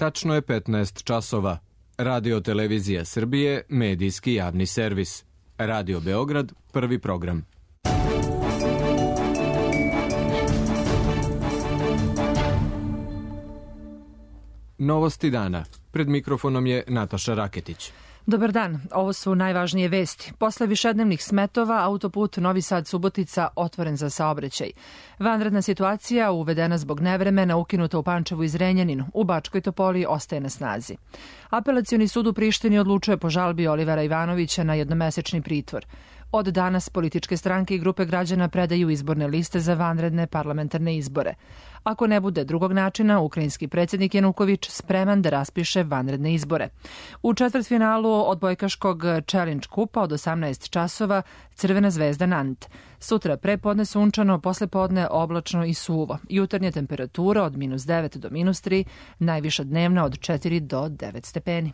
Tačno je 15 časova. Radio Televizija Srbije, medijski javni servis. Radio Beograd, prvi program. Novosti dana. Pred mikrofonom je Nataša Raketić. Dobar dan, ovo su najvažnije vesti. Posle višednevnih smetova, autoput Novi Sad-Subotica otvoren za saobraćaj. Vanredna situacija uvedena zbog nevremena, ukinuta u Pančevu i Zrenjaninu. U Bačkoj Topoli ostaje na snazi. Apelacioni sud u Prištini odlučuje po žalbi Olivera Ivanovića na jednomesečni pritvor. Od danas političke stranke i grupe građana predaju izborne liste za vanredne parlamentarne izbore. Ako ne bude drugog načina, ukrajinski predsjednik Januković spreman da raspiše vanredne izbore. U četvrtfinalu odbojkaškog Challenge kupa od 18 časova Crvena zvezda Nant. Sutra prepodne sunčano, poslepodne oblačno i suvo. Jutarnja temperatura od -9 do -3, najviša dnevna od 4 do 9 stepeni.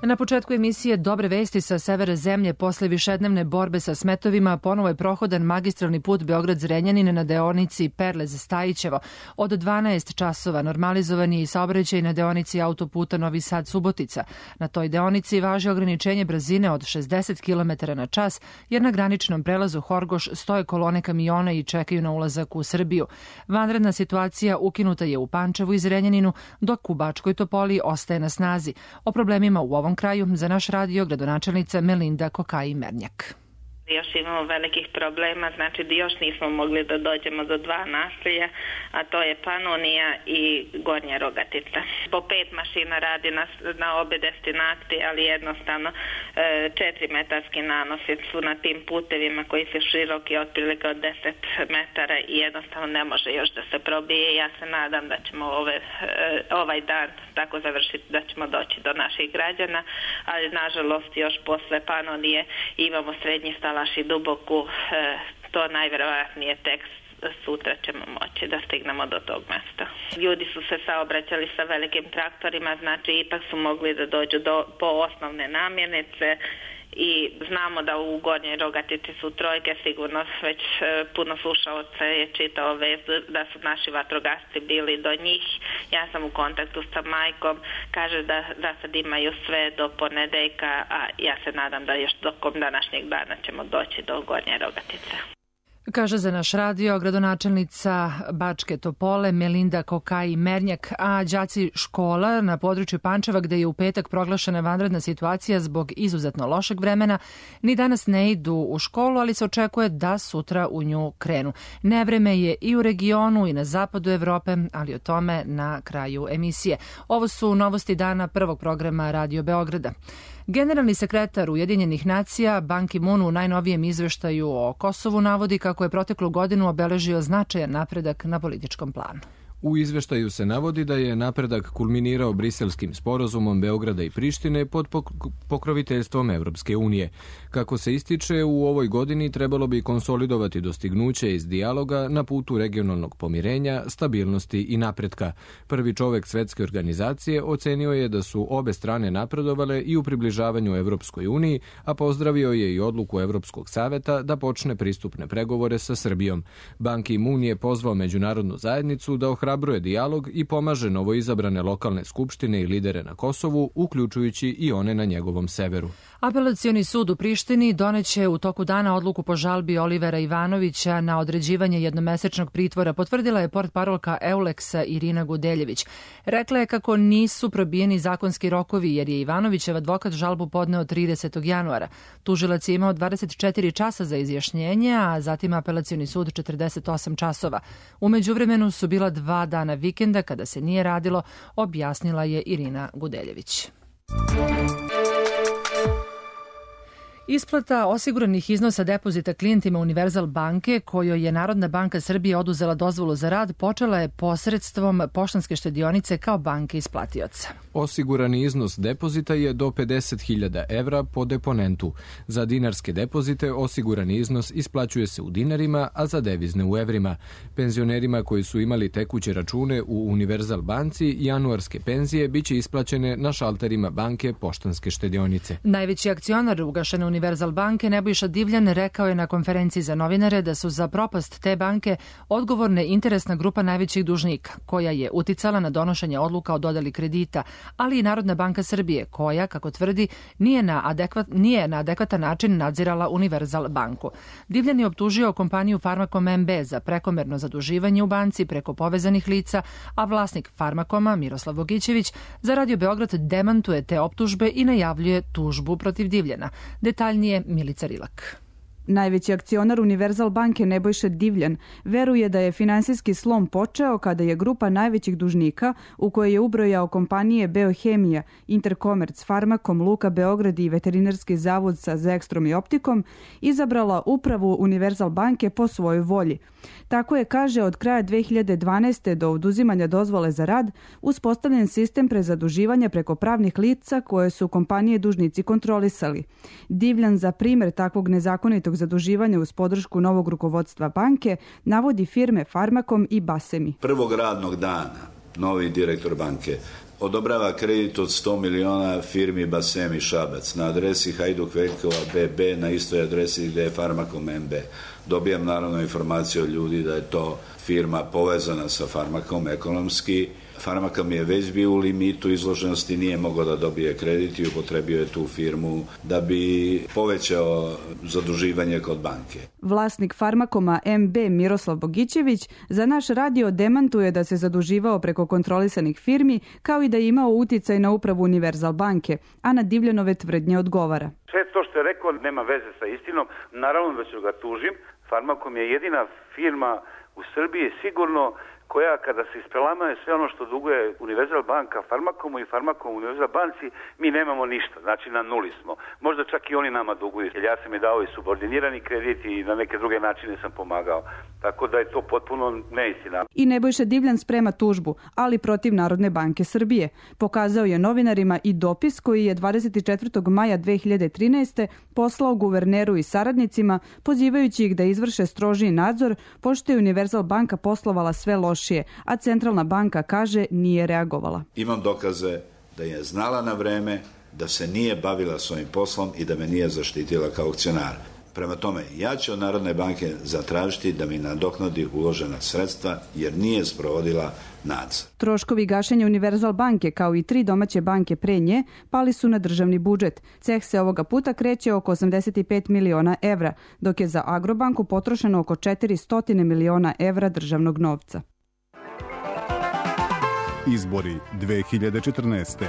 Na početku emisije dobre vesti sa severa zemlje. Posle višednevne borbe sa smetovima ponovo je prohodan magistralni put Beograd-Zrenjanin na deonici Perlez-Stajićevo. Od 12 časova normalizovan je i saobraćaj na deonici autoputa Novi Sad-Subotica. Na toj deonici važi ograničenje brzine od 60 km na čas, jer na graničnom prelazu Horgoš stoje kolone kamiona i čekaju na ulazak u Srbiju. Vanredna situacija ukinuta je u Pančevu i Zrenjaninu, dok u Bačkoj Topoli ostaje na snazi. O problemima u ovom kraju za naš radio gradonačelnica Melinda Kokaj-Mernjak. Još imamo velikih problema, znači još nismo mogli da dođemo do dva naselja, a to je Panonija i Gornja Rogatica. Po 5 mašina radi na obe destinacije, ali jednostavno 4-metarski nanosi su na tim putevima koji su široki otprilike od 10 metara i jednostavno ne može još da se probije. Ja se nadam da ćemo ovaj dan tako završiti da ćemo doći do naših građana, ali nažalost još posle Panonije imamo srednji Stalaš i Duboku, to najverovatnije tek sutra ćemo moći da stignemo do tog mesta. Ljudi su se saobraćali sa velikim traktorima, znači ipak su mogli da dođu po osnovne namirnice i znamo da u Gornjoj Rogatici su trojke, sigurno već puno slušalaca je čitao vest da su naši vatrogasci bili do njih. Ja sam u kontaktu sa majkom, kaže da sad imaju sve do ponedeljka, a ja se nadam da još tokom današnjeg dana ćemo doći do Gornje Rogatice. Kaže za naš radio gradonačelnica Bačke Topole Melinda Kokaj-Mernjak, a đaci škola na području Pančeva, gde je u petak proglašena vanredna situacija zbog izuzetno lošeg vremena, ni danas ne idu u školu, ali se očekuje da sutra u nju krenu. Nevreme je i u regionu i na zapadu Evrope, ali o tome na kraju emisije. Ovo su novosti dana prvog programa Radio Beograda. Generalni sekretar Ujedinjenih nacija Ban Ki-moon u najnovijem izveštaju o Kosovu navodi kako je proteklu godinu obeležio značajan napredak na političkom planu. U izveštaju se navodi da je napredak kulminirao Briselskim sporazumom Beograda i Prištine pod pokroviteljstvom Evropske unije. Kako se ističe, u ovoj godini trebalo bi konsolidovati dostignuće iz dijaloga na putu regionalnog pomirenja, stabilnosti i napretka. Prvi čovek Svetske organizacije ocenio je da su obe strane napredovale i u približavanju Evropskoj uniji, a pozdravio je i odluku Evropskog saveta da počne pristupne pregovore sa Srbijom. Ban Ki-moon je pozvao međunarodnu zajednicu da ohrabruje dijalog i pomaže novoizabrane lokalne skupštine i lidere na Kosovu, uključujući i one na njegovom severu. Apelacioni sud u Prištini doneće u toku dana odluku po žalbi Olivera Ivanovića na određivanje jednomesečnog pritvora, potvrdila je portparolka Euleksa Irina Gudeljević. Rekla je kako nisu probijeni zakonski rokovi jer je Ivanovićev advokat žalbu podneo 30. januara. Tužilac je imao 24 časa za izjašnjenje, a zatim apelacioni sud 48 časova. U međuvremenu su bila 2 dana vikenda kada se nije radilo, objasnila je Irina Gudeljević. Isplata osiguranih iznosa depozita klijentima Univerzal banke, kojoj je Narodna banka Srbije oduzela dozvolu za rad, počela je posredstvom Poštanske štedionice kao banke isplatioca. Osigurani iznos depozita je do 50.000 evra po deponentu. Za dinarske depozite osigurani iznos isplaćuje se u dinarima, a za devizne u evrima. Penzionerima koji su imali tekuće račune u Univerzal banci, januarske penzije biće isplaćene na šalterima banke Poštanske štedionice. Najveći akcionar ugašene Univerzal Univerzal banke Nebojša Divljan rekao je na konferenciji za novinare da su za propast te banke odgovorne interesna grupa najvećih dužnika, koja je uticala na donošenje odluka o dodeli kredita, ali i Narodna banka Srbije, koja, kako tvrdi, nije na adekvatan način nadzirala Univerzal banku. Divljan je optužio kompaniju Farmakom MB za prekomerno zaduživanje u banci preko povezanih lica, a vlasnik Farmakoma, Miroslav Bogićević, za Radio Beograd demantuje te optužbe i najavljuje tužbu protiv Divljana. Detaljnije Milica Rilak. Najveći akcionar Univerzal banke Nebojša Divljan veruje da je finansijski slom počeo kada je grupa najvećih dužnika, u kojoj je ubrojao kompanije Beohemija, Interkomerc, Farmakom, Luka Beograd i Veterinarski zavod sa Zekstrom i Optikom, izabrala upravu Univerzal banke po svojoj volji. Tako je, kaže, od kraja 2012. do oduzimanja dozvole za rad uspostavljen sistem prezaduživanja preko pravnih lica koje su kompanije dužnici kontrolisali. Divljan za primjer takvog nezakonitog zaduživanja uz podršku novog rukovodstva banke navodi firme Farmakom i Basemi. Prvog radnog dana novi direktor banke odobrava kredit od 100 miliona firmi Basemi Šabac na adresi Hajduk Veljkova BB na istoj adresi gdje je Farmakom MB. Dobijam naravno informaciju od ljudi da je to firma povezana sa Farmakom ekonomski. Farmakom je već bio u limitu izloženosti, nije mogao da dobije kredit i upotrebio je tu firmu da bi povećao zaduživanje kod banke. Vlasnik Farmakoma MB Miroslav Bogićević za naš radio demantuje da se zaduživao preko kontrolisanih firmi, kao i da je imao uticaj na upravu Univerzal banke, a na Divljanove tvrdnje odgovara. Sve to što je rekao nema veze sa istinom, naravno da ću ga tužim. Farmakom je jedina firma u Srbiji sigurno koja kada se isprelamaje sve ono što duguje Univerzal banka Farmakomu i Farmakom Univerzal banci, mi nemamo ništa, znači na nuli smo. Možda čak i oni nama duguju, jer ja sam je dao i subordinirani kredit i na neke druge načine sam pomagao. Tako da je to potpuno neistina. I Nebojša Divljan sprema tužbu, ali protiv Narodne banke Srbije. Pokazao je novinarima i dopis koji je 24. maja 2013. poslao guverneru i saradnicima, pozivajući ih da izvrše strožiji nadzor, pošto je Univerzal banka poslovala sve loše, a Centralna banka, kaže, nije reagovala. Imam dokaze da je znala na vreme, da se nije bavila svojim poslom i da me nije zaštitila kao akcionar. Prema tome, ja ću od Narodne banke zatražiti da mi nadoknadi uložena sredstva jer nije sprovodila nadzor. Troškovi gašenja Univerzal banke, kao i 3 domaće banke pre nje, pali su na državni budžet. Ceh se ovoga puta kreće oko 85 miliona evra, dok je za Agrobanku potrošeno oko 400 miliona evra državnog novca. Izbori 2014.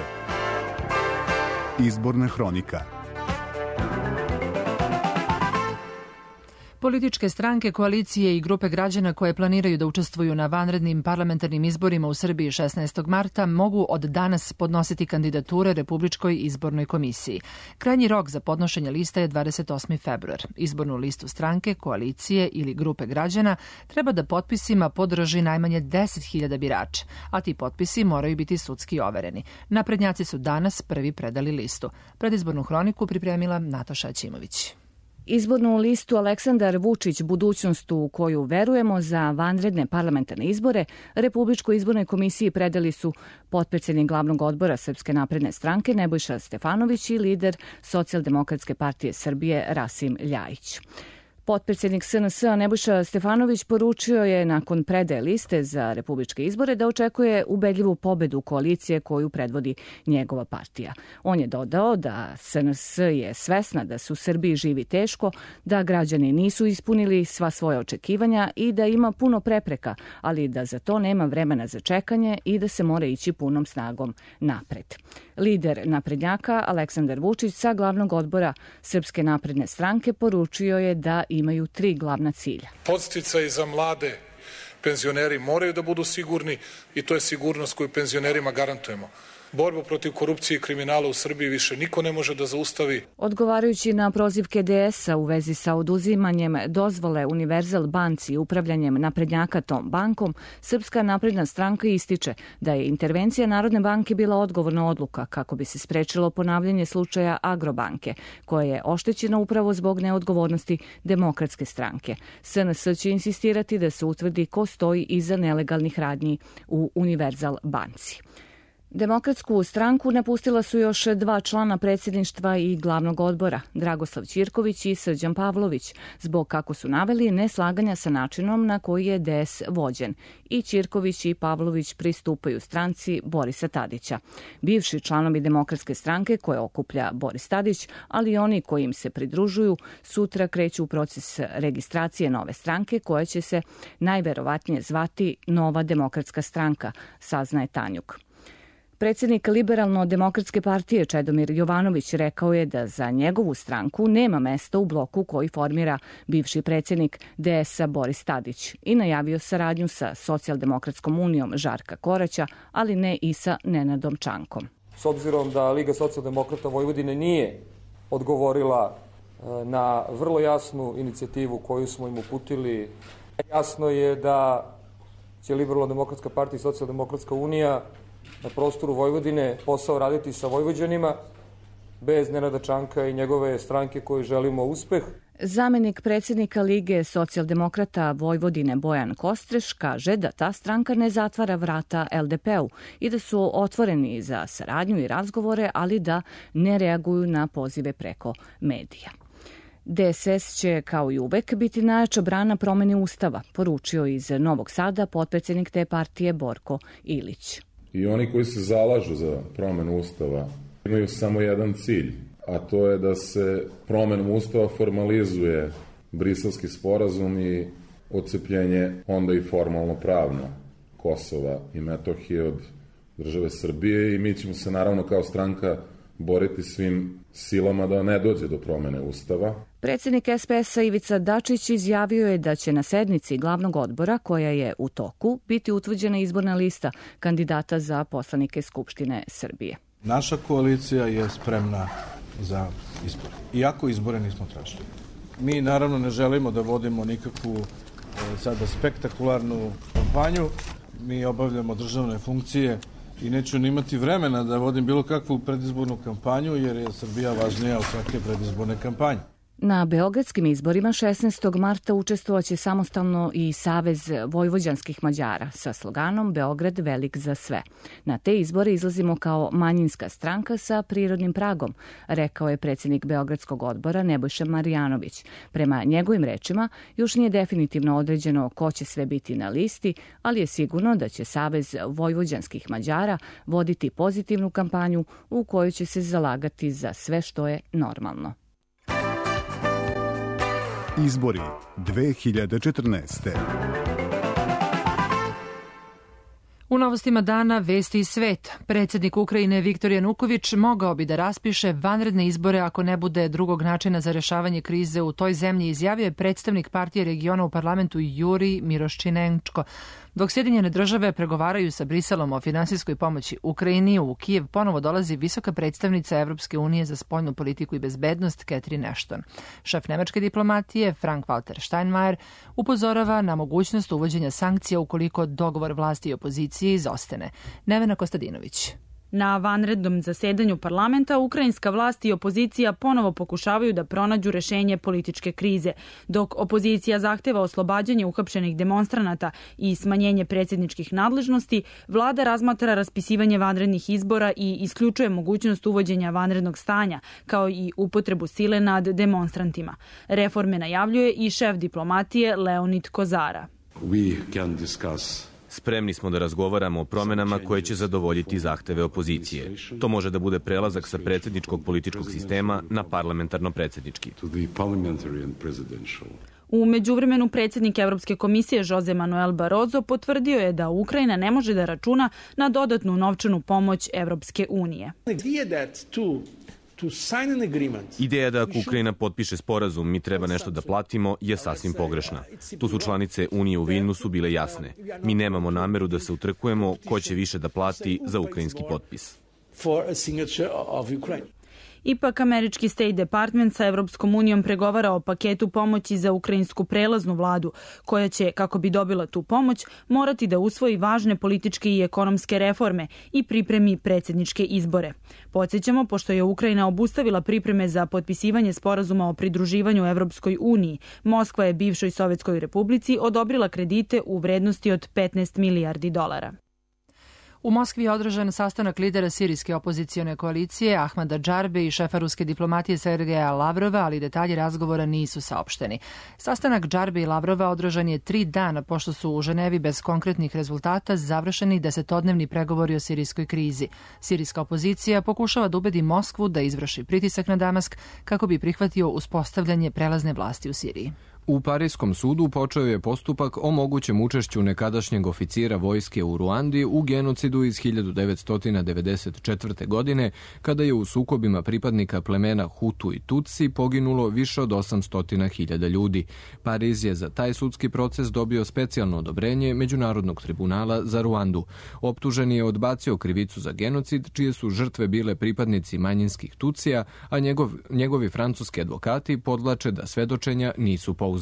Izborna hronika. Političke stranke, koalicije i grupe građana koje planiraju da učestvuju na vanrednim parlamentarnim izborima u Srbiji 16. marta mogu od danas podnositi kandidature Republičkoj izbornoj komisiji. Krajnji rok za podnošenje lista je 28. februar. Izbornu listu stranke, koalicije ili grupe građana treba da potpisima podrži najmanje 10.000 birača, a ti potpisi moraju biti sudski overeni. Naprednjaci su danas prvi predali listu. Predizbornu hroniku pripremila Nataša Ćimović. Izbornu listu Aleksandar Vučić, budućnost u koju verujemo, za vanredne parlamentarne izbore Republičkoj izbornoj komisiji predali su potpredsednik glavnog odbora Srpske napredne stranke Nebojša Stefanović i lider Socijaldemokratske partije Srbije Rasim Ljajić. Potpredsednik SNS-a Nebojša Stefanović poručio je nakon predaje liste za republičke izbore da očekuje ubedljivu pobedu koalicije koju predvodi njegova partija. On je dodao da SNS je svesna da se u Srbiji živi teško, da građani nisu ispunili sva svoja očekivanja i da ima puno prepreka, ali da za to nema vremena za čekanje i da se mora ići punom snagom napred. Lider naprednjaka Aleksandar Vučić sa glavnog odbora Srpske napredne stranke poručio je da imaju 3 glavna cilja. Podsticaji za mlade penzioneri moraju da budu sigurni i to je sigurnost koju penzionerima garantujemo. Borbu protiv korupcije i kriminala u Srbiji više niko ne može da zaustavi. Odgovarajući na prozivke DS-a u vezi sa oduzimanjem dozvole Univerzal banci i upravljanjem naprednjaka tom bankom, Srpska napredna stranka ističe da je intervencija Narodne banke bila odgovorna odluka kako bi se sprečilo ponavljanje slučaja Agrobanke, koja je oštećena upravo zbog neodgovornosti Demokratske stranke. SNS će insistirati da se utvrdi ko stoji iza nelegalnih radnji u Univerzal banci. Demokratsku stranku napustila su još 2 člana predsjedništva i glavnog odbora, Dragoslav Ćirković i Srđan Pavlović, zbog, kako su naveli, neslaganja sa načinom na koji je DS vođen. I Ćirković i Pavlović pristupaju stranci Borisa Tadića. Bivši članovi Demokratske stranke koje okuplja Boris Tadić, ali i oni koji im se pridružuju, sutra kreću u proces registracije nove stranke koja će se najverovatnije zvati Nova demokratska stranka, saznaje Tanjuk. Predsjednik Liberalno-demokratske partije Čedomir Jovanović rekao je da za njegovu stranku nema mesta u bloku koji formira bivši predsjednik DS-a Boris Tadić i najavio saradnju sa Socijaldemokratskom unijom Žarka Koraća, ali ne i sa Nenadom Čankom. S obzirom da Liga socijaldemokrata Vojvodine nije odgovorila na vrlo jasnu inicijativu koju smo im uputili, jasno je da će Liberalno-demokratska partija i Socijaldemokratska unija na prostoru Vojvodine posao raditi sa Vojvođanima, bez Nenada Čanka i njegove stranke koju želimo uspeh. Zamenik predsjednika Lige socijaldemokrata Vojvodine Bojan Kostreš kaže da ta stranka ne zatvara vrata LDP-u i da su otvoreni za saradnju i razgovore, ali da ne reaguju na pozive preko medija. DSS će, kao i uvek, biti najjača brana promene Ustava, poručio iz Novog Sada potpredsjednik te partije Borko Ilić. I oni koji se zalažu za promenu Ustava imaju samo jedan cilj, a to je da se promenom Ustava formalizuje Briselski sporazum i odcepljenje onda i formalno pravno Kosova i Metohije od države Srbije i mi ćemo se naravno kao stranka boriti svim silama da ne dođe do promene Ustava. Predsjednik SPS-a Ivica Dačić izjavio je da će na sednici glavnog odbora, koja je u toku, biti utvrđena izborna lista kandidata za poslanike Skupštine Srbije. Naša koalicija je spremna za izbore, iako izbore nismo tražili. Mi naravno ne želimo da vodimo nikakvu sada spektakularnu kampanju. Mi obavljamo državne funkcije i neću ni imati vremena da vodim bilo kakvu predizbornu kampanju, jer je Srbija važnija od svake predizborne kampanje. Na beogradskim izborima 16. marta učestvovaće samostalno i Savez vojvođanskih Mađara sa sloganom Beograd velik za sve. Na te izbore izlazimo kao manjinska stranka sa prirodnim pragom, rekao je predsjednik Beogradskog odbora Nebojša Marjanović. Prema njegovim rečima, još nije definitivno određeno ko će sve biti na listi, ali je sigurno da će Savez vojvođanskih Mađara voditi pozitivnu kampanju u kojoj će se zalagati za sve što je normalno. Izbori 2014. U novostima dana vesti iz sveta. Predsjednik Ukrajine Viktor Januković mogao bi da raspiše vanredne izbore ako ne bude drugog načina za rešavanje krize u toj zemlji, izjavio je predstavnik partije regiona u parlamentu Juri Miroščinenčko. Dok Sjedinjene države pregovaraju sa Briselom o finansijskoj pomoći Ukrajini, u Kijev ponovo dolazi visoka predstavnica Evropske unije za spoljnu politiku i bezbednost Catherine Ashton. Šef nemačke diplomatije Frank-Walter Steinmeier upozorava na mogućnost uvođenja sankcija ukoliko dogovor vlasti i opozicije izostane. Nevena Kostadinović. Na vanrednom zasedanju parlamenta ukrajinska vlast i opozicija ponovo pokušavaju da pronađu rešenje političke krize. Dok opozicija zahteva oslobađanje uhapšenih demonstranata i smanjenje predsjedničkih nadležnosti, vlada razmatra raspisivanje vanrednih izbora i isključuje mogućnost uvođenja vanrednog stanja, kao i upotrebu sile nad demonstrantima. Reforme najavljuje i šef diplomatije Leonid Kozara. Spremni smo da razgovaramo o promenama koje će zadovoljiti zahteve opozicije. To može da bude prelazak sa predsjedničkog političkog sistema na parlamentarno-predsjednički. U međuvremenu predsjednik Evropske komisije Jose Manuel Barroso potvrdio je da Ukrajina ne može da računa na dodatnu novčanu pomoć Evropske unije. Ideja da ako Ukrajina potpiše sporazum, mi treba nešto da platimo, je sasvim pogrešna. Tu su članice Unije u Vilnusu bile jasne. Mi nemamo nameru da se utrkujemo ko će više da plati za ukrajinski potpis. Ipak, američki State Department sa Evropskom unijom pregovara o paketu pomoći za ukrajinsku prelaznu vladu, koja će, kako bi dobila tu pomoć, morati da usvoji važne političke i ekonomske reforme i pripremi predsjedničke izbore. Podsjećamo, pošto je Ukrajina obustavila pripreme za potpisivanje sporazuma o pridruživanju Evropskoj uniji, Moskva je bivšoj Sovjetskoj republici odobrila kredite u vrednosti od $15 milijardi. U Moskvi je održan sastanak lidera sirijske opozicione koalicije Ahmada Džarbe i šefa ruske diplomatije Sergeja Lavrova, ali detalji razgovora nisu saopšteni. Sastanak Džarbe i Lavrova održan je 3 dana pošto su u Ženevi bez konkretnih rezultata završeni 10-dnevni pregovori o sirijskoj krizi. Sirijska opozicija pokušava da ubedi Moskvu da izvrši pritisak na Damask kako bi prihvatio uspostavljanje prelazne vlasti u Siriji. U Parijskom sudu počeo je postupak o mogućem učešću nekadašnjeg oficira vojske u Ruandi u genocidu iz 1994. godine, kada je u sukobima pripadnika plemena Hutu i Tutsi poginulo više od 800.000 ljudi. Pariz je za taj sudski proces dobio specijalno odobrenje Međunarodnog tribunala za Ruandu. Optuženi je odbacio krivicu za genocid, čije su žrtve bile pripadnici manjinskih Tutsija, a njegovi francuski advokati podvlače da svedočenja nisu pouzdana.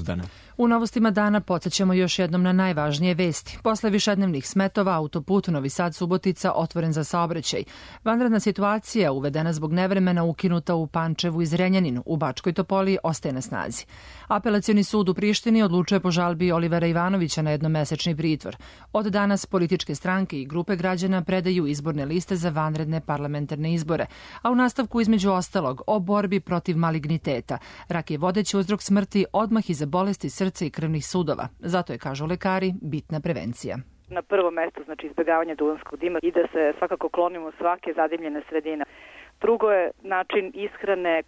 U novostima dana podsjećamo još jednom na najvažnije vesti. Posle višednevnih smetova, autoput Novi Sad-Subotica otvoren za saobraćaj. Vanredna situacija uvedena zbog nevremena ukinuta u Pančevu i Zrenjaninu. U Bačkoj Topoli ostaje na snazi. Apelacioni sud u Prištini odlučuje po žalbi Olivera Ivanovića na jednomesečni pritvor. Od danas političke stranke i grupe građana predaju izborne liste za vanredne parlamentarne izbore, a u nastavku između ostalog o borbi protiv maligniteta. Rak je vodeći uzrok smrti odmah iza bolesti srca i krvnih sudova. Zato je, kažu lekari, bitna prevencija. Na prvo mesto znači izbjegavanje duvanskog dima i da se svakako klonimo svake zadimljene sredine. Drugo je način ishrane,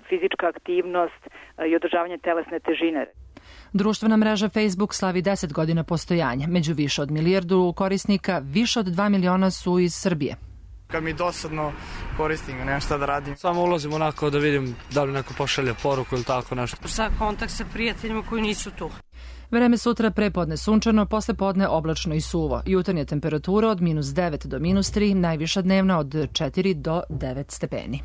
fizička aktivnost i održavanje telesne težine. Društvena mreža Facebook slavi 10 godina postojanja. Među više od milijardu korisnika, više od 2 miliona su iz Srbije. Kad mi dosadno koristim, nemam šta da radim. Samo ulazim onako da vidim da li neko pošalje poruku ili tako nešto. Za kontakt sa prijateljima koji nisu tu. Vreme sutra prepodne sunčano, posle podne oblačno i suvo. Jutarnja temperatura od -9 do -3, najviša dnevna od 4 do 9 stepeni.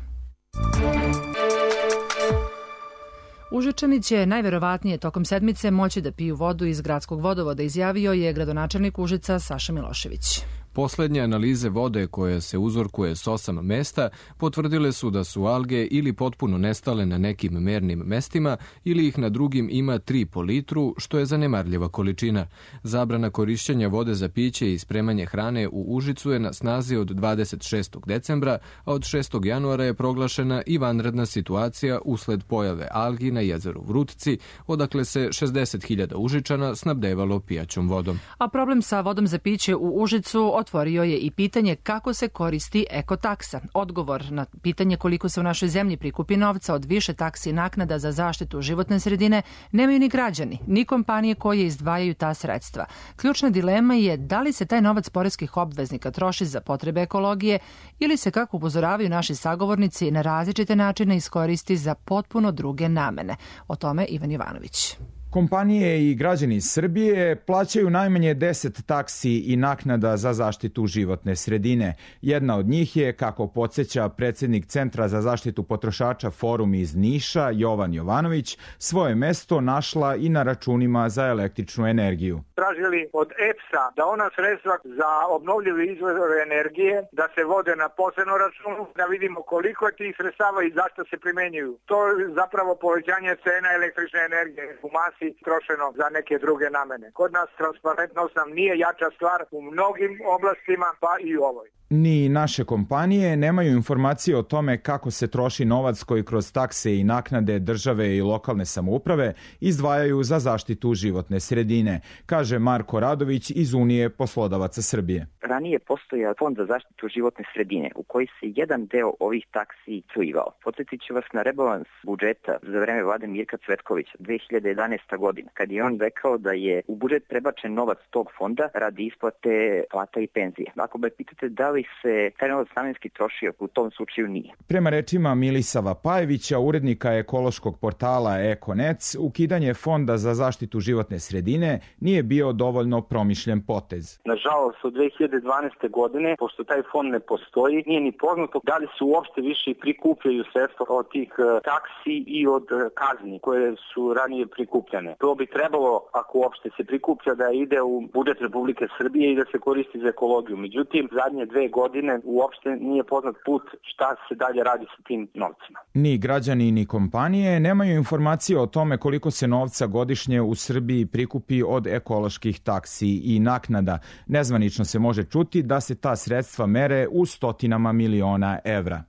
Užičani će najverovatnije tokom sedmice moći da piju vodu iz gradskog vodovoda, izjavio je gradonačelnik Užica Saša Milošević. Poslednje analize vode koje se uzorkuje s 8 mesta potvrdile su da su alge ili potpuno nestale na nekim mernim mestima ili ih na drugim ima 3 po litru, što je zanemarljiva količina. Zabrana korišćenja vode za piće i spremanje hrane u Užicu je na snazi od 26. decembra, a od 6. januara je proglašena i vanredna situacija usled pojave algi na jezeru Vrutci, odakle se 60.000 Užičana snabdevalo pijaćom vodom. A problem sa vodom za piće u Užicu otvorio je i pitanje kako se koristi ekotaksa. Odgovor na pitanje koliko se u našoj zemlji prikupi novca od više taksi i naknada za zaštitu životne sredine nemaju ni građani, ni kompanije koje izdvajaju ta sredstva. Ključna dilema je da li se taj novac poreskih obveznika troši za potrebe ekologije ili se, kako upozoravaju naši sagovornici, na različite načine iskoristi za potpuno druge namene. O tome Ivan Jovanović. Kompanije i građani Srbije plaćaju najmanje 10 taksi i naknada za zaštitu životne sredine. Jedna od njih je, kako podsjeća predsjednik Centra za zaštitu potrošača Forum iz Niša, Jovan Jovanović, svoje mesto našla i na računima za električnu energiju. Tražili od EPS-a da ona sredstva za obnovljive izvore energije da se vode na posebno računu, da vidimo koliko je tih sredstava i zašto se primenjuju. To je zapravo povećanje cena električne energije u masi trošeno za neke druge namene. Kod nas transparentnost nam nije jača stvar u mnogim oblastima, pa i u ovoj. Ni naše kompanije nemaju informacije o tome kako se troši novac koji kroz takse i naknade države i lokalne samouprave izdvajaju za zaštitu životne sredine, kaže Marko Radović iz Unije poslodavaca Srbije. Ranije postojao Fond za zaštitu životne sredine u koji se jedan deo ovih taksi slivao. Podsjetit ću vas na rebalans budžeta za vreme vlade Mirka Cvetkovića 2011. godina, kad je on rekao da je u budžet prebačen novac tog fonda radi isplate plata i penzije. Ako me pitate da li se taj novac namenski trošio, u tom slučaju nije. Prema rečima Milisava Pajevića, urednika ekološkog portala Ekonec, ukidanje Fonda za zaštitu životne sredine nije bio dovoljno promišljen potez. Nažalost, od 2012. godine, pošto taj fond ne postoji, nije ni poznato da li se uopšte više prikupljaju sredstva od tih taksi i od kazni koje su ranije prikupljene. To bi trebalo, ako uopšte se prikuplja, da ide u budžet Republike Srbije i da se koristi za ekologiju. Međutim, zadnje 2 2 godine uopšte nije poznat put šta se dalje radi sa tim novcima. Ni građani ni kompanije nemaju informacije o tome koliko se novca godišnje u Srbiji prikupi od ekoloških taksi i naknada. Nezvanično se može čuti da se ta sredstva mere u stotinama miliona evra.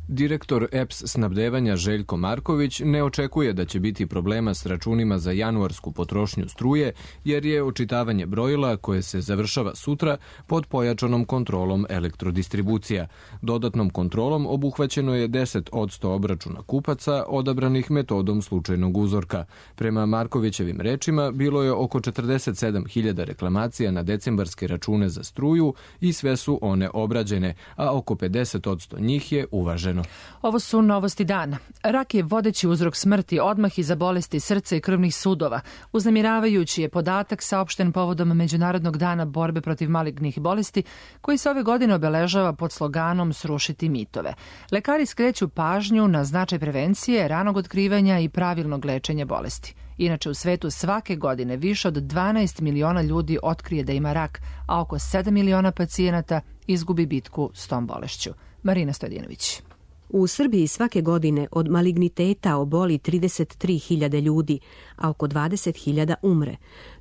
Direktor EPS snabdevanja Željko Marković ne očekuje da će biti problema s računima za januarsku potrošnju struje, jer je očitavanje brojila, koje se završava sutra, pod pojačanom kontrolom elektrodistribucija. Dodatnom kontrolom obuhvaćeno je 10% obračuna kupaca odabranih metodom slučajnog uzorka. Prema Markovićevim rečima, bilo je oko 47.000 reklamacija na decembarske račune za struju i sve su one obrađene, a oko 50% njih je uvaženo. Ovo su novosti dana. Rak je vodeći uzrok smrti odmah iza bolesti srca i krvnih sudova. Uznemiravajući je podatak saopšten povodom Međunarodnog dana borbe protiv malignih bolesti, koji se ove godine obeležava pod sloganom Srušiti mitove. Lekari skreću pažnju na značaj prevencije, ranog otkrivanja i pravilnog lečenja bolesti. Inače, u svetu svake godine više od 12 miliona ljudi otkrije da ima rak, a oko 7 miliona pacijenata izgubi bitku s tom bolešću. Marina Stojadinović. U Srbiji svake godine od maligniteta oboli 33.000 ljudi, a oko 20.000 umre.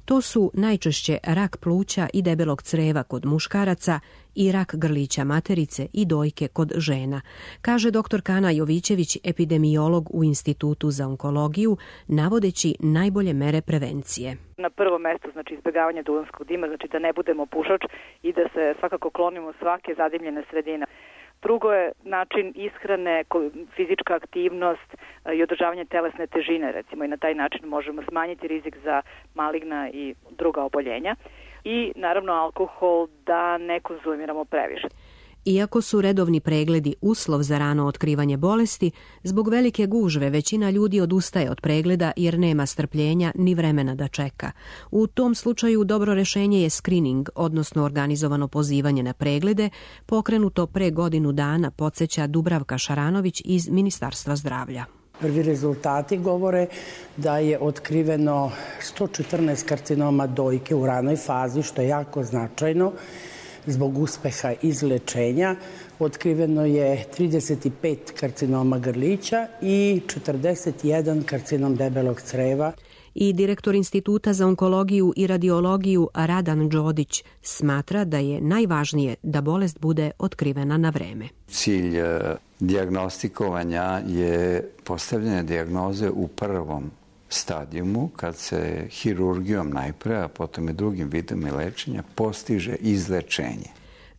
To su najčešće rak pluća i debelog creva kod muškaraca i rak grlića materice i dojke kod žena, kaže dr. Kana Jovićević, epidemiolog u Institutu za onkologiju, navodeći najbolje mere prevencije. Na prvo mesto, znači izbjegavanje duvanskog dima, znači da ne budemo pušač i da se svakako klonimo svake zadimljene sredine. Drugo je način ishrane, fizička aktivnost i održavanje telesne težine, recimo, i na taj način možemo smanjiti rizik za maligna i druga oboljenja. I naravno alkohol da ne konzumiramo previše. Iako su redovni pregledi uslov za rano otkrivanje bolesti, zbog velike gužve većina ljudi odustaje od pregleda jer nema strpljenja ni vremena da čeka. U tom slučaju dobro rešenje je screening, odnosno organizovano pozivanje na preglede, pokrenuto pre godinu dana, podsjeća Dubravka Šaranović iz Ministarstva zdravlja. Prvi rezultati govore da je otkriveno 114 karcinoma dojke u ranoj fazi, što je jako značajno. Zbog uspeha izlečenja otkriveno je 35 karcinoma grlića i 41 karcinom debelog creva. I direktor Instituta za onkologiju i radiologiju Radan Đodić smatra da je najvažnije da bolest bude otkrivena na vreme. Cilj dijagnostikovanja je postavljanje dijagnoze u prvom stadijumu, kad se hirurgijom najpre, a potom i drugim vidom lečenja postiže izlečenje.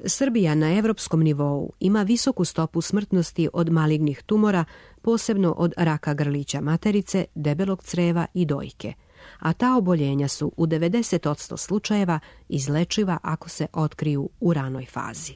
Srbija na evropskom nivou ima visoku stopu smrtnosti od malignih tumora, posebno od raka grlića materice, debelog creva i dojke. A ta oboljenja su u 90% slučajeva izlečiva ako se otkriju u ranoj fazi.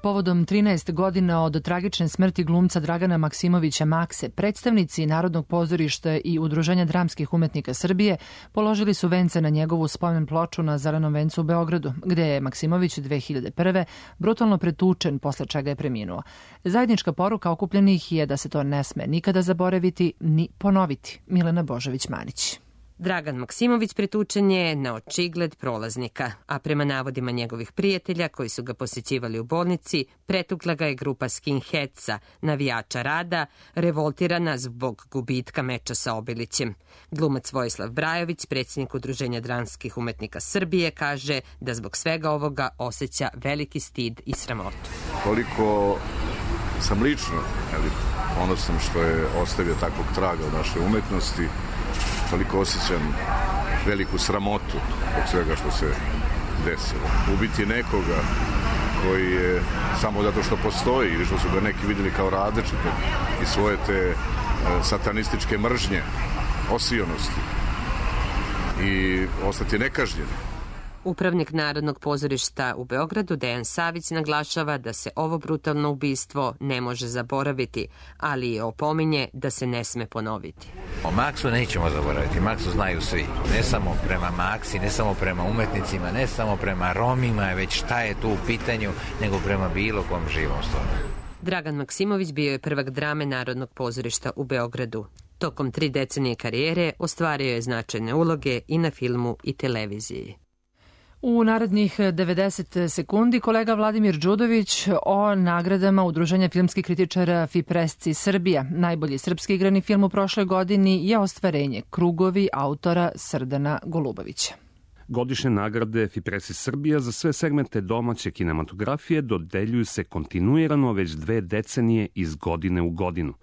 Povodom 13 godina od tragične smrti glumca Dragana Maksimovića Makse, predstavnici Narodnog pozorišta i Udruženja dramskih umetnika Srbije položili su vence na njegovu spomen ploču na Zelenom vencu u Beogradu, gde je Maksimović 2001. brutalno pretučen, posle čega je preminuo. Zajednička poruka okupljenih je da se to ne sme nikada zaboraviti ni ponoviti. Milena Božović-Manić. Dragan Maksimović pretučen je na očigled prolaznika, a prema navodima njegovih prijatelja koji su ga posjećivali u bolnici, pretukla ga je grupa skinheadsa, navijača Rada, revoltirana zbog gubitka meča sa Obilićem. Glumac Vojislav Brajović, predsjednik Udruženja dramskih umetnika Srbije, kaže da zbog svega ovoga osjeća veliki stid i sramotu. Koliko sam lično ponosan što je ostavio takvog traga u našoj umetnosti, toliko osjećam veliku sramotu od svega što se desilo. Ubiti nekoga koji je samo zato što postoji ili što su ga neki vidjeli kao različitog i svoje te satanističke mržnje, osionosti i ostati nekažnjen. Upravnik Narodnog pozorišta u Beogradu, Dejan Savić, naglašava da se ovo brutalno ubistvo ne može zaboraviti, ali je opominje da se ne sme ponoviti. O Maksu nećemo zaboraviti. Maksu znaju svi. Ne samo prema Maksi, ne samo prema umetnicima, ne samo prema Romima, već šta je tu u pitanju, nego prema bilo kom živom stvoru. Dragan Maksimović bio je prvak drame Narodnog pozorišta u Beogradu. Tokom 3 decenije karijere ostvario je značajne uloge i na filmu i televiziji. U narednih 90 sekundi kolega Vladimir Đudović o nagradama Udruženja filmskih kritičara Fipresci Srbija. Najbolji srpski igrani film u prošloj godini je ostvarenje Krugovi autora Srdana Golubovića. Godišnje nagrade Fipresci Srbija za sve segmente domaće kinematografije dodeljuju se kontinuirano već 2 decenije iz godine u godinu.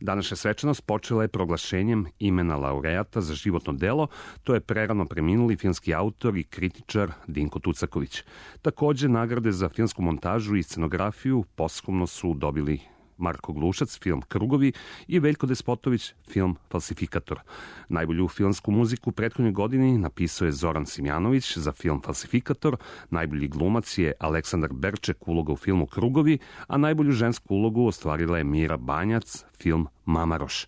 Današnja svečanost počela je proglašenjem imena laureata za životno delo, to je prerano preminuli filmski autor i kritičar Dinko Tucaković. Takođe, nagrade za filmsku montažu i scenografiju posthumno su dobili Marko Glušac, film Krugovi, i Veljko Despotović, film Falsifikator. Najbolju filmsku muziku u prethodnoj godini napisao je Zoran Simjanović za film Falsifikator, najbolji glumac je Aleksandar Berček, uloga u filmu Krugovi, a najbolju žensku ulogu ostvarila je Mira Banjac, film Mamaroš.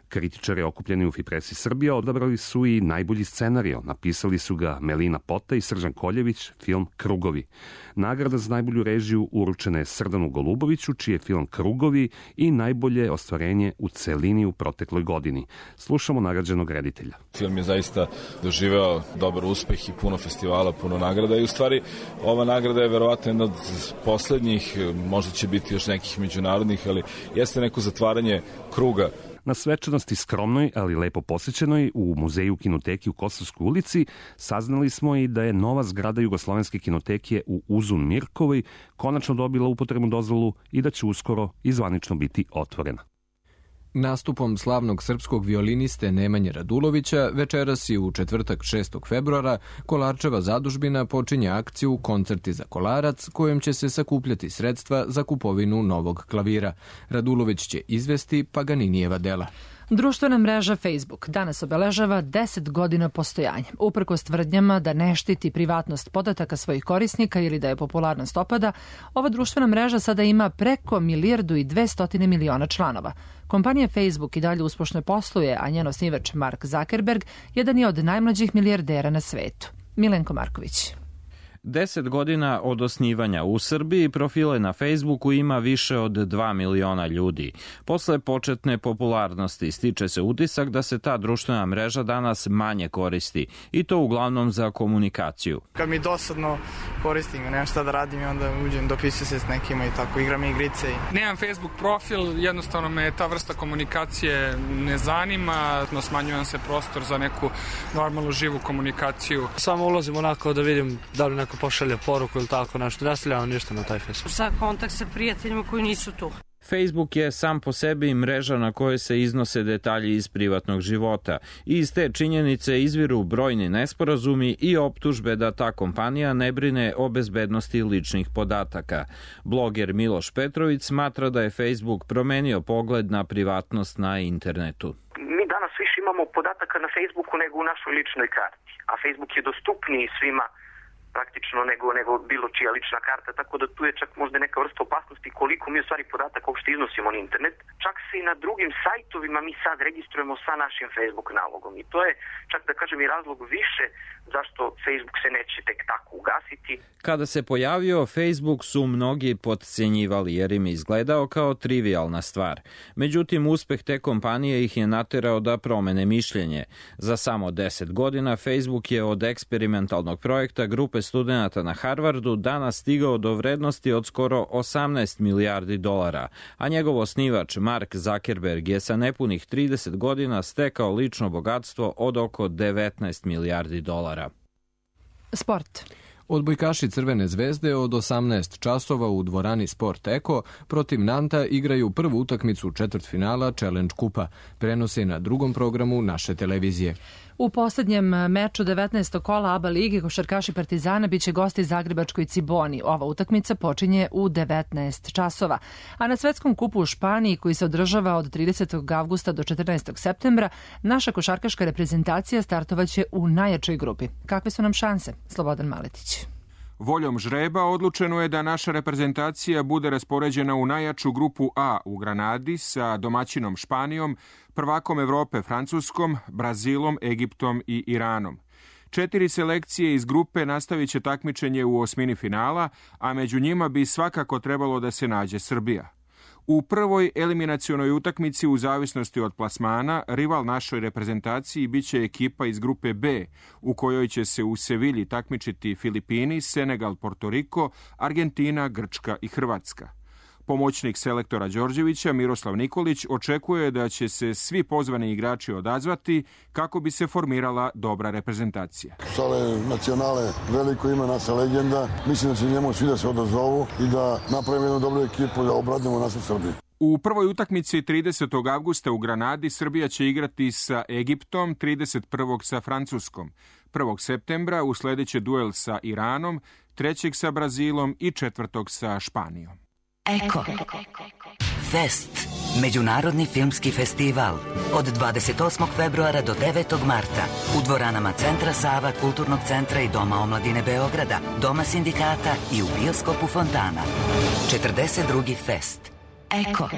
Kritičari okupljeni u Fipresci Srbija odabrali su i najbolji scenario. Napisali su ga Melina Pota i Srđan Koljević, film Krugovi. Nagrada za najbolju režiju uručena je Srdanu Goluboviću, čiji je film Krugovi i najbolje ostvarenje u celini u protekloj godini. Slušamo nagrađenog reditelja. Film je zaista doživeo dobar uspeh i puno festivala, puno nagrada i u stvari ova nagrada je verovatno jedna od poslednjih, možda će biti još nekih međunarodnih, ali jeste neko zatvaranje kruga. Na svečanosti skromnoj, ali lepo posjećenoj u Muzeju kinoteki u Kosovskoj ulici saznali smo i da je nova zgrada Jugoslovenske kinoteke u Uzun Mirkovoj konačno dobila upotrebnu dozvolu i da će uskoro i zvanično biti otvorena. Nastupom slavnog srpskog violiniste Nemanje Radulovića večeras i u četvrtak 6. februara Kolarčeva zadužbina počinje akciju Koncerti za Kolarac, kojom će se sakupljati sredstva za kupovinu novog klavira. Radulović će izvesti Paganinijeva dela. Društvena mreža Facebook danas obeležava 10 godina postojanja. Uprkos tvrdnjama da ne štiti privatnost podataka svojih korisnika ili da je popularnost opada, ova društvena mreža sada ima preko 1,2 milijarde članova. Kompanija Facebook i dalje uspešno posluje, a njen osnivač Mark Zuckerberg jedan je od najmlađih milijardera na svetu. Milenko Marković. 10 godina od osnivanja u Srbiji profile na Facebooku ima više od 2 miliona ljudi. Posle početne popularnosti stiče se utisak da se ta društvena mreža danas manje koristi i to uglavnom za komunikaciju. Kad mi dosadno koristim, nemam šta da radim i onda uđem, dopisujem se s nekima i tako, igram igrice. Nemam Facebook profil, jednostavno me ta vrsta komunikacije ne zanima, smanjujem se prostor za neku normalnu živu komunikaciju. Samo ulazim onako da vidim da li neko pošalje poruku ili tako nešto. Ne stavljamo ništa na taj Facebook. Za kontakt sa prijateljima koji nisu tu. Facebook je sam po sebi mreža na kojoj se iznose detalji iz privatnog života i iz te činjenice izviru brojni nesporazumi i optužbe da ta kompanija ne brine o bezbednosti ličnih podataka. Bloger Miloš Petrović smatra da je Facebook promenio pogled na privatnost na internetu. Mi danas više imamo podataka na Facebooku nego u našoj ličnoj karti, a Facebook je dostupniji svima praktično nego bilo čija lična karta, tako da tu je čak možda neka vrsta opasnosti koliko mi u stvari podataka uopšte iznosimo na internet. Čak se i na drugim sajtovima mi sad registrujemo sa našim Facebook nalogom i to je čak da kažem i razlog više zašto Facebook se neće tek tako ugasiti. Kada se pojavio Facebook su mnogi potcenjivali jer im je izgledao kao trivialna stvar. Međutim, uspeh te kompanije ih je naterao da promene mišljenje. Za samo 10 godina Facebook je od eksperimentalnog projekta grupe studenata na Harvardu danas stigao do vrednosti od skoro 18 milijardi dolara, a njegov osnivač Mark Zuckerberg je sa nepunih 30 godina stekao lično bogatstvo od oko 19 milijardi dolara. Sport. Odbojkaši Crvene zvezde od 18 časova u dvorani Sport Eko protiv Nanta igraju prvu utakmicu četvrtfinala Challenge kupa. Prenose na drugom programu naše televizije. U poslednjem meču 19. kola ABA lige košarkaši Partizana biće gosti Zagrebačkoj Ciboni. Ova utakmica počinje u 19 časova. A na svetskom kupu u Španiji, koji se održava od 30. avgusta do 14. septembra, naša košarkaška reprezentacija startovaće u najjačoj grupi. Kakve su nam šanse? Slobodan Maletić. Voljom žreba odlučeno je da naša reprezentacija bude raspoređena u najjaču grupu A u Granadi sa domaćinom Španijom, prvakom Evrope Francuskom, Brazilom, Egiptom i Iranom. 4 selekcije iz grupe nastavit će takmičenje u osmini finala, a među njima bi svakako trebalo da se nađe Srbija. U prvoj eliminacionoj utakmici u zavisnosti od plasmana, rival našoj reprezentaciji biće ekipa iz grupe B, u kojoj će se u Sevilji takmičiti Filipini, Senegal, Portoriko, Argentina, Grčka i Hrvatska. Pomoćnik selektora Đorđevića Miroslav Nikolić očekuje da će se svi pozvani igrači odazvati kako bi se formirala dobra reprezentacija. Sale nacionale, veliko ime, naša legenda. Mislim da će njemu svi da se odazovu i da napravimo jednu dobru ekipu da obradimo našu Srbiju. U prvoj utakmici 30. avgusta u Granadi Srbija će igrati sa Egiptom, 31. sa Francuskom, 1. septembra usledeće duel sa Iranom, 3. sa Brazilom i 4. sa Španijom. Eko. Fest. Međunarodni filmski festival. Od 28. februara do 9. marta. U dvoranama Centra Sava, Kulturnog centra i Doma omladine Beograda, Doma sindikata i u bioskopu Fontana. 42. fest. Eko.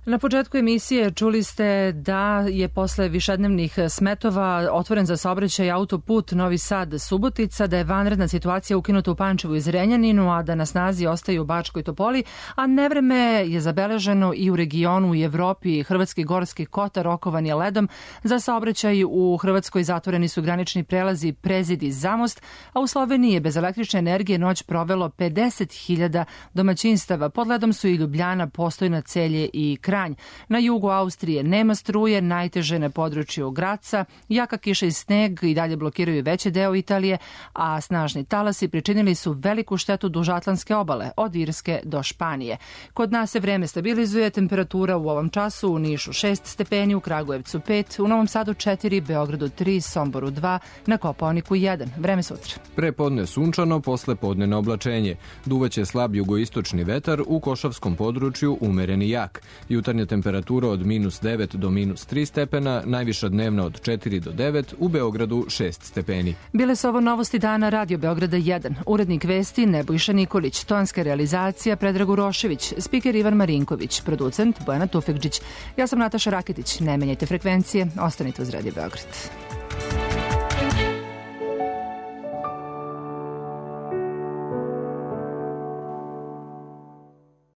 Na početku emisije čuli ste da je posle višednevnih smetova otvoren za saobraćaj autoput Novi Sad-Subotica, da je vanredna situacija ukinuta u Pančevu i Zrenjaninu, a da na snazi ostaju u Bačkoj Topoli, a nevreme je zabeleženo i u regionu i Evropi. Hrvatski Gorski Kotar okovan je ledom. Za saobraćaj u Hrvatskoj zatvoreni su granični prelazi Prezid i Zamost, a u Sloveniji je bez električne energije noć provelo 50.000 domaćinstava. Pod ledom su i Ljubljana, Postojna, Celje i Kranj. Na jugu Austrije nema struje, najteže na području Graca, jaka kiša i sneg i dalje blokiraju veći deo Italije, a snažni talasi pričinili su veliku štetu duž Atlantske obale, od Irske do Španije. Kod nas se vreme stabilizuje, temperatura u ovom času u Nišu 6 stepeni, u Kragujevcu 5, u Novom Sadu 4, Beogradu 3, Somboru 2, na Kopaoniku 1. Vreme sutra. Prepodne sunčano, posle podne oblačenje. Duvaće slab jugoistočni vetar, u Košavskom području umereni jak. Jutarnja temperatura od -9 do -3 stepena, najviša dnevna od 4 do 9, u Beogradu 6 stepeni. Bile su ovo novosti dana Radio Beograda 1. Urednik vesti Nebojša Nikolić, tonska realizacija Predrag Urošević, spiker Ivan Marinković, producent Bojana Tufekđić. Ja sam Nataša Raketić. Ne menjajte frekvencije, ostanite uz Radio Beograd.